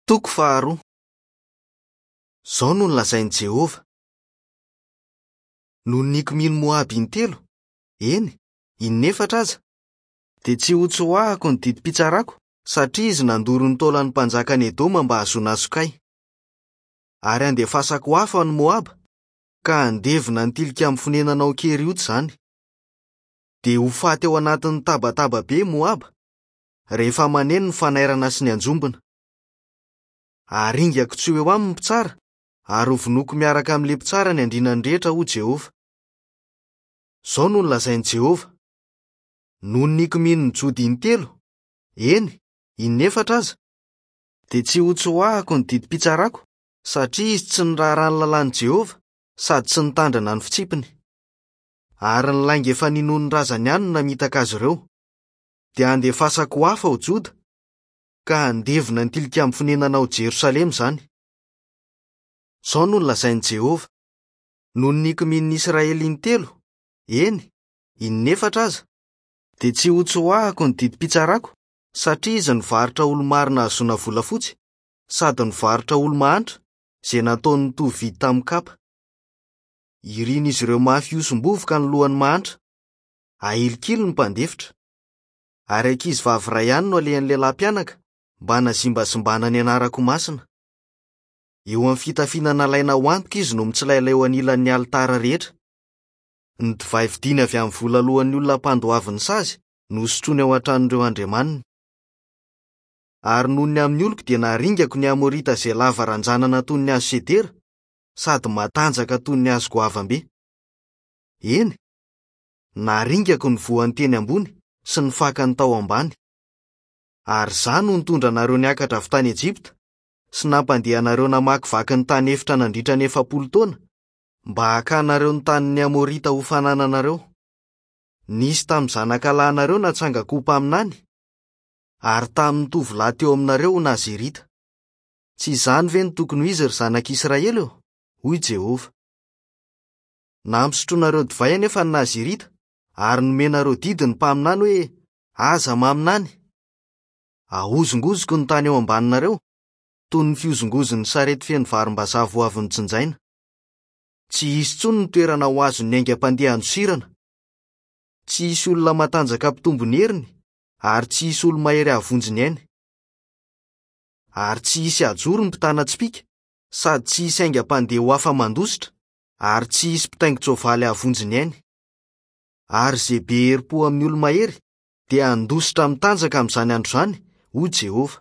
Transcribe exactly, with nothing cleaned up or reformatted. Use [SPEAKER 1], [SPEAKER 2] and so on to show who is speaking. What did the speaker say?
[SPEAKER 1] Toko faharoa. Izao no nolazain'i Jehovah: Noho ny nikomian'i Moaba intelo, eny, inefatra aza, dia tsy hotsoahako ny didim-pitsarako satria izy nandoro ny taolan'ny mpanjakan'i Edoma mba hahazoana sokay. Ary handefasako afo any Moaba, ka handevona ny tilikambo fonenana ao Keriota izany. Dia ho faty ao anatin'ny tabataba be i Moaba, rehefa maneno ny fanairana sy ny anjombona. Haringako tsy ho eo aminy ny mpitsara, ary hovonoiko miaraka amin'ilay mpitsara ny andrinany rehetra, hoy Jehovah. Izao no nolazain'i Jehovah: Noho ny nikomian'ny Joda intelo, eny, inefatra aza, dia tsy hotsoahako ny didim-pitsarako, satria izy tsy niraharaha ny lalàn'i Jehovah sady tsy nitandrina ny fitsipiny. Ary ny lainga efa ninoan'ny razany ihany no namitaka azy ireo. Dia handefasako hafa ao Joda, ka handevona ny tilikambo fonenana ao Jerosalema izany. Izao no nolazain'i Jehovah: Noho ny nikomian'ny Israely intelo, eny, inefatra aza, dia tsy hotsoahako ny didim-pitsarako, satria izy nivarotra olo-marina hahazoana volafotsy, sady nivarotra olo-mahantra, izay nataony nitovy vidy tamin'ny kapa. Irin'izy ireo mafy hosom-bovoka ny lohan'ny mahantra, ahilikily ny mpandefitra. Ary ankizivavy iray ihany no alehan'ny lehilahy mpianaka mba hanazimbazimbana ny anarako masina. Eo amin'ny fitafiana nalaina ho antoka izy no mitsilailay eo anilan'ny alitara rehetra. Ny divay vidiany avy amin'ny vola alohan'ny olona mpandoavy ny sazy no sotroiny ao an-tranon'ireo andriamaniny. Ary noho ny amin'ny oloko dia naringako ny Amorita izay lava ranjanana toy ny hazo sedera sady matanjaka toy ny hazo goavam-be. Eny, naringako ny voan'ny teny ambony sy ny fakany tao ambany. Ary izaho no nitondra anareo niakatra avy tany Ejipta sy nampandeha anareo namakivaky ny tany efitra nandritra ny efapolo taona mba hakanareo ny tanin'ny Amorita ho fanananareo. Nisy tamin'ny zanakalahinareo natsangako ho mpaminany, ary tamin'ny tovolahy teo aminareo ho Nazirita. Tsy izany ve no tokony ho izy, ry zanak'Israely ô? Hoy Jehovah. Nampisotroinareo divay anefa ny Nazirita, ary nomenareo didy ny mpaminany hoe: Aza maminany. Ahozongozoko ny tany eo ambaninareo, toy ny fihozongozon'ny sarety feno varimbazaha vao avy notsinjaina. Tsy hisy intsony ny toerana ho azon'ny aingam-pandeha handosirana. Tsy hisy olona matanjaka hampitombo ny heriny, ary tsy hisy olo-mahery hahavonjy ny ainy. Ary tsy hisy hajoro ny mpitana tsipìka, sady tsy hisy aingam-pandeha ho afa-mandositra, ary tsy hisy mpitaingin-tsoavaly hahavonjy ny ainy. Ary izay be herim-po amin'ny olo-mahery dia handositra mitanjaka amin'izany andro izany, hoy Jehovah.